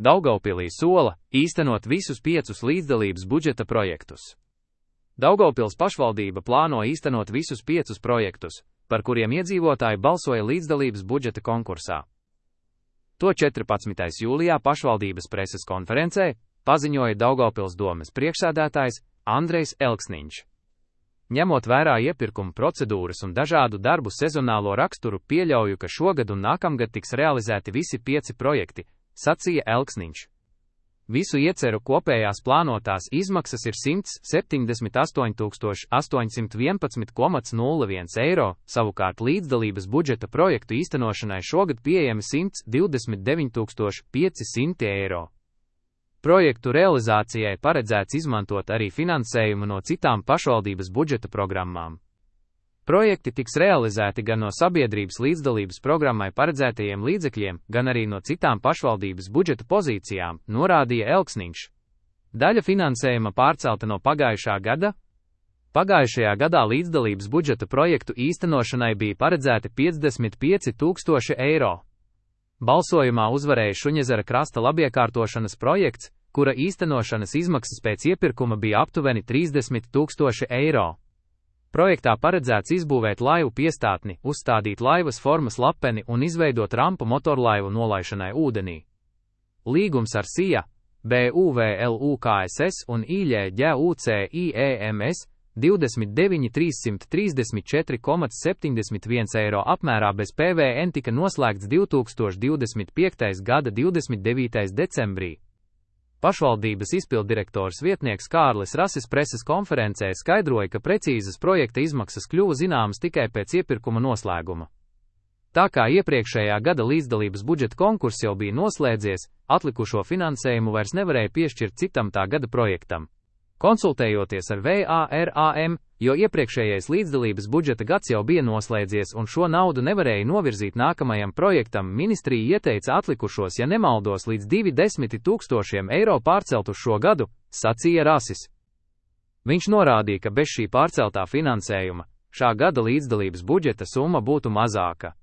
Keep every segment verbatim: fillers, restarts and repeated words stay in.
Daugavpilī sola īstenot visus piecus līdzdalības budžeta projektus. Daugavpils pašvaldība plāno īstenot visus piecus projektus, par kuriem iedzīvotāji balsoja līdzdalības budžeta konkursā. To četrpadsmitais jūlijā pašvaldības preses konferencē paziņoja Daugavpils domes priekšsēdētājs Andrejs Elksniņš. Ņemot vērā iepirkuma procedūras un dažādu darbu sezonālo raksturu, pieļauju, ka šogad un nākamgad tiks realizēti visi pieci projekti, sacīja Elksniņš. Visu ieceru kopējās plānotās izmaksas ir simts septiņdesmit astoņi tūkstoši astoņsimt vienpadsmit komats nulle viens eiro, savukārt līdzdalības budžeta projektu īstenošanai šogad pieejami simts divdesmit deviņi tūkstoši pieci simti eiro. Projektu realizācijai paredzēts izmantot arī finansējumu no citām pašvaldības budžeta programmām. Projekti tiks realizēti gan no sabiedrības līdzdalības programmai paredzētajiem līdzekļiem, gan arī no citām pašvaldības budžeta pozīcijām, norādīja Elksniņš. Daļa finansējuma pārcelta no pagājušā gada. Pagājušajā gadā līdzdalības budžeta projektu īstenošanai bija paredzēti piecdesmit pieci tūkstoši eiro. Balsojumā uzvarēja Šuņezera krasta labiekārtošanas projekts, kura īstenošanas izmaksas pēc iepirkuma bija aptuveni trīsdesmit tūkstoši eiro. Projektā paredzēts izbūvēt laivu piestātni, uzstādīt laivas formas lapeni un izveidot rampu motorlaivu nolaišanai ūdenī. Līgums ar S I A, B U V L U K S S un I Ļ Ģ U C I E M S divdesmit deviņi trīssimt trīsdesmit četri komats septiņdesmit viens eiro apmērā bez P V N tika noslēgts divtūkstoš divdesmit piektais gada divdesmit devītais decembrī. Pašvaldības izpilddirektors vietnieks Kārlis Rasis preses konferencē skaidroja, ka precīzas projekta izmaksas kļuva zināmas tikai pēc iepirkuma noslēguma. Tā kā iepriekšējā gada līdzdalības budžeta konkurss jau bija noslēdzies, atlikušo finansējumu vairs nevarēja piešķirt citam tā gada projektam. Konsultējoties ar V A R A M, jo iepriekšējais līdzdalības budžeta gads jau bija noslēdzies un šo naudu nevarēja novirzīt nākamajam projektam, ministrija ieteica atlikušos, ja nemaldos, līdz divi desmiti tūkstošiem eiro pārcelt uz šo gadu, sacīja Rasis. Viņš norādīja, ka bez šī pārceltā finansējuma šā gada līdzdalības budžeta summa būtu mazāka.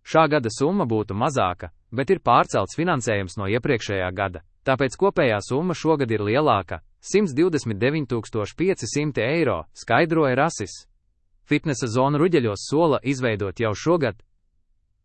Šā gada summa būtu mazāka, bet ir pārcelts finansējums no iepriekšējā gada, tāpēc kopējā summa šogad ir lielāka. simts divdesmit deviņi tūkstoši pieci simti eiro, skaidroja Rasis. Fitnesa zonu Ruģeļos sola izveidot jau šogad.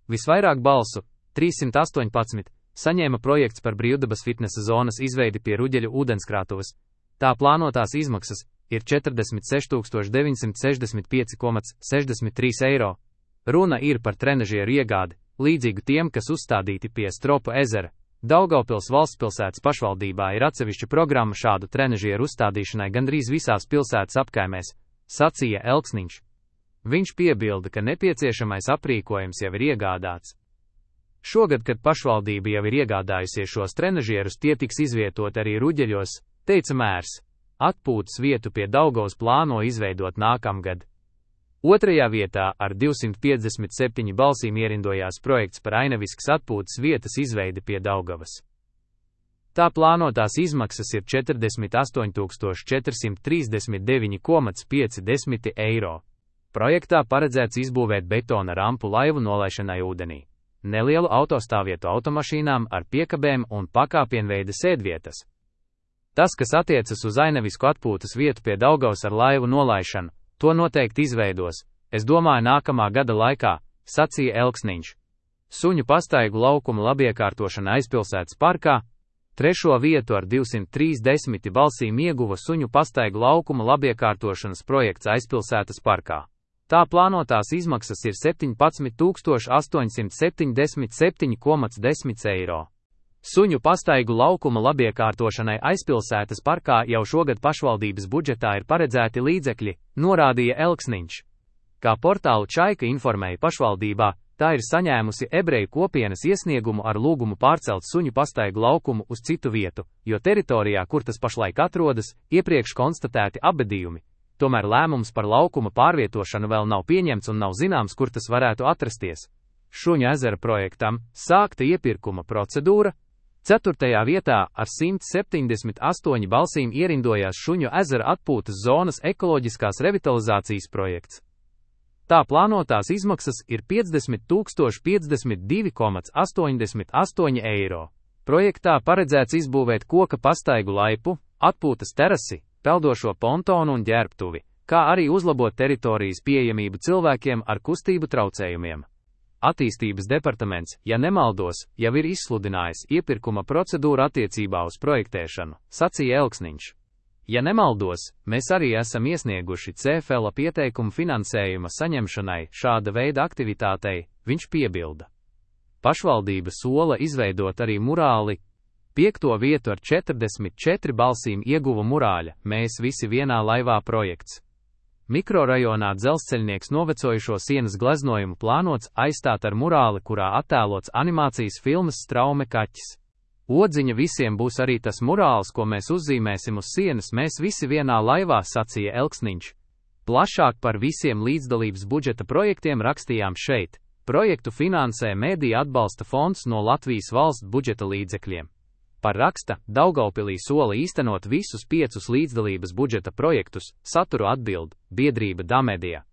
Visvairāk balsu, trīssimt astoņpadsmit, saņēma projekts par brīvdabas fitnesa zonas izveidi pie Ruģeļu ūdenskrātuves. Tā plānotās izmaksas ir četrdesmit seši tūkstoši deviņsimt sešdesmit pieci komats sešdesmit trīs eiro. Runa ir par trenažieru iegādi, līdzīgu tiem, kas uzstādīti pie Stropu ezera. Daugavpils valstspilsētas pašvaldībā ir atsevišķa programma šādu trenažieru uzstādīšanai gandrīz visās pilsētas apkaimēs, sacīja Elksniņš. Viņš piebilda, ka nepieciešamais aprīkojums jau ir iegādāts. Šogad, kad pašvaldība jau ir iegādājusies šos trenažierus, tie tiks izvietot arī Ruģeļos, teica mērs. Atpūtas vietu pie Daugavas plāno izveidot nākamgad. Otrajā vietā ar divsimt piecdesmit septiņi balsīm ierindojās projekts par Ainaviskas atpūtas vietas izveidi pie Daugavas. Tā plānotās izmaksas ir četrdesmit astoņi tūkstoši četrsimt trīsdesmit deviņi komats pieci eiro. Projektā paredzēts izbūvēt betona rampu laivu nolaišanai ūdenī, nelielu autostāvvietu automašīnām ar piekabēm un pakāpienveida sēdvietas. Tas, kas attiecas uz Ainavisku atpūtas vietu pie Daugavas ar laivu nolaišanu, to noteikti izveidos, es domāju, nākamā gada laikā, sacīja Elksniņš. Suņu pastaigu laukuma labiekārtošana aizpilsētas parkā. Trešo vietu ar divsimt trīsdesmit balsīm ieguva suņu pastaigu laukuma labiekārtošanas projekts aizpilsētas parkā. Tā plānotās izmaksas ir septiņpadsmit tūkstoši astoņsimt septiņdesmit septiņi komats desmit eiro. Suņu pastaigu laukuma labiekārtošanai aizpilsētas parkā jau šogad pašvaldības budžetā ir paredzēti līdzekļi, norādīja Elksniņš. Kā portālu Čaika informēja pašvaldībā, tā ir saņēmusi ebreju kopienas iesniegumu ar lūgumu pārcelt suņu pastaigu laukumu uz citu vietu, jo teritorijā, kur tas pašlaik atrodas, iepriekš konstatēti apbedījumi. Tomēr lēmums par laukuma pārvietošanu vēl nav pieņemts un nav zināms, kur tas varētu atrasties. Šuņu ezera projektam sākta iepirkuma procedūra. Ceturtajā vietā ar simt septiņdesmit astoņi balsīm ierindojās Šuņu ezera atpūtas zonas ekoloģiskās revitalizācijas projekts. Tā plānotās izmaksas ir piecdesmit tūkstoši piecdesmit divi komats astoņdesmit astoņi eiro. Projektā paredzēts izbūvēt koka pastaigu laipu, atpūtas terasi, peldošo pontonu un ģērbtuvi, kā arī uzlabot teritorijas pieejamību cilvēkiem ar kustību traucējumiem. Attīstības departaments, ja nemaldos, jau ir izsludinājis iepirkuma procedūru attiecībā uz projektēšanu, sacīja Elksniņš. Ja nemaldos, mēs arī esam iesnieguši C F L pieteikumu finansējuma saņemšanai šāda veida aktivitātei, viņš piebilda. Pašvaldība sola izveidot arī murāli. Piekto vietu ar četrdesmit četri balsīm ieguva murāļa "Mēs visi vienā laivā" projekts. Mikrorajonā Dzelzceļnieks novecojušo sienas gleznojumu plānots aizstāt ar murāli, kurā attēlots animācijas filmas Straume kaķis. Odziņa visiem būs arī tas murāls, ko mēs uzzīmēsim uz sienas "Mēs visi vienā laivā", sacīja Elksniņš. Plašāk par visiem līdzdalības budžeta projektiem rakstījām šeit. Projektu finansē Mediju atbalsta fonds no Latvijas valsts budžeta līdzekļiem. Par raksta Daugavpilī sola īstenot visus piecus līdzdalības budžeta projektus, saturu atbild biedrība Damedija.